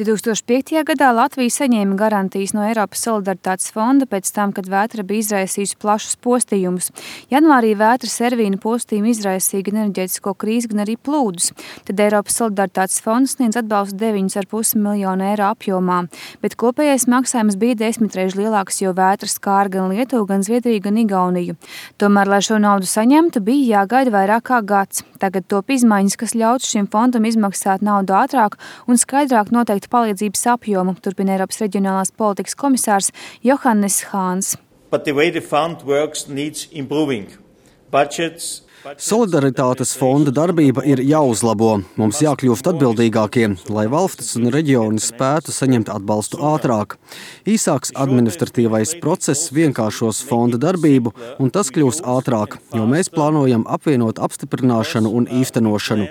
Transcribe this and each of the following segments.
2005. gadā Latvija saņēma garantijas no Eiropas solidaritātes fonda pēc tam, kad vētra bija izraisījusi plašus postījumus. Janvārī vētra Servīna postījumi izraisīja gan enerģētisko krīzi, gan arī plūdus. Tad Eiropas solidaritātes fonds sniedz atbalstu 9,5 miljonu eiro apjomā, bet kopējais maksājums bija 10 reizes lielāks, jo vētra skāra gan Lietuvu, gan Zviedriju, gan Igauniju. Tomēr, lai šo naudu saņemtu, bija jāgaida vairāk kā gads. Tagad top izmaiņas, kas ļautu šim fondam izmaksāt naudu ātrāk un skaidrāk noteikt palīdzības apjomu, turpina Eiropas reģionālās politikas komisārs Johannes Hāns. Solidaritātes fonda darbība ir jāuzlabo. Mums jākļūst atbildīgākiem, lai valstis un reģioni spētu saņemt atbalstu ātrāk. Īsāks administratīvais process vienkāršos fonda darbību, un tas kļūs ātrāk, jo mēs plānojam apvienot apstiprināšanu un īstenošanu.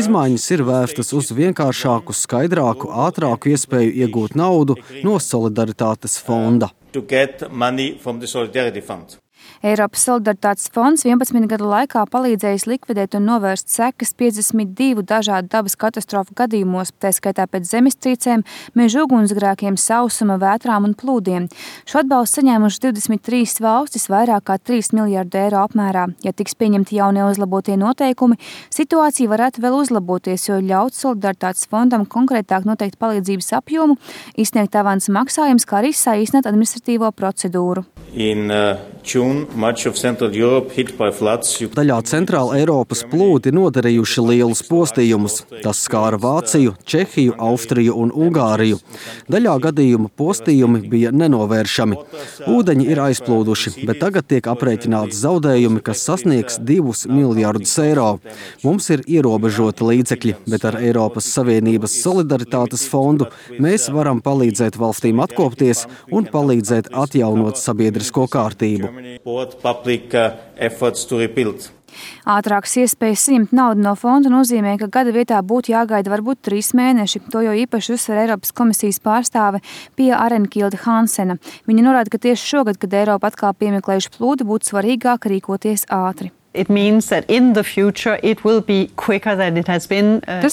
Izmaiņas ir vērstas uz vienkāršāku, skaidrāku, ātrāku iespēju iegūt naudu no Solidaritātes fonda. Eiropas solidaritātes fonds 11 gadu laikā palīdzējis likvidēt un novērst sekas 52 dažādu dabas katastrofu gadījumos, tā skaitā pēc zemestrīcēm, meža ugunsgrēkiem, sausuma, vētrām un plūdiem. Šo atbalstu saņēmuši 23 valstis vairāk kā 3 miljardu eiro apmērā. Ja tiks pieņemti jaunie uzlabotie noteikumi, situācija varētu vēl uzlaboties, jo ļauts solidaritātes fondam konkrētāk noteikt palīdzības apjomu, izsniegt avansa maksājumus, kā arī saīsināt administratīvo procedūru. Daļā Centrāla Eiropas plūdi nodarījuši lielus postījumus. Tas skāra Vāciju, Čehiju, Austriju un Ungāriju. Daļā gadījumu postījumi bija nenovēršami. Ūdeņi ir aizplūduši, bet tagad tiek aprēķināti zaudējumi, kas sasniegs 2 miljardus eiro. Mums ir ierobežoti līdzekļi, bet ar Eiropas Savienības solidaritātes fondu mēs varam palīdzēt valstīm atkopties un palīdzēt atjaunot sabiedrisko kārtību. Ātrākas iespējas saņemt naudu no fonda nozīmē, ka gada vietā būtu jāgaida varbūt 3 mēneši. To jau īpaši uzsver Eiropas komisijas pārstāve Pia Arenkilde Hansena. Viņa norāda, ka tieši šogad, kad Eiropa atkal piemeklējuši plūdi, būtu svarīgāk rīkoties ātri. Tas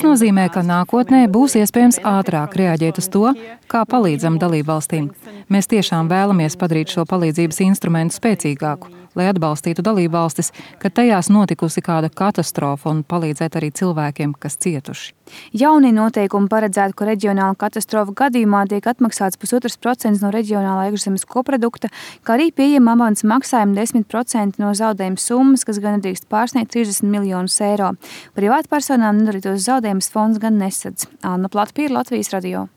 nozīmē, ka nākotnē būs iespējams ātrāk reaģēt uz to, kā palīdzam dalībvalstīm. Mēs tiešām vēlamies padarīt šo palīdzības instrumentu spēcīgāku, lai atbalstītu dalībvalstis, kad tajās notikusi kāda katastrofa un palīdzēt arī cilvēkiem, kas cietuši. Jaunie noteikumi paredzētu, ka reģionāla katastrofa gadījumā tiek atmaksāts 1,5% no reģionālā iekšzemes koprodukta, kā arī pieejama avansa maksājuma 10% no zaudējuma summas, kas gan nedrīkst pārsniegt 30 miljonus eiro. Privātpersonām nedarītos zaudējumus fonds gan nesadz. Anna Platpīra, Latvijas radio.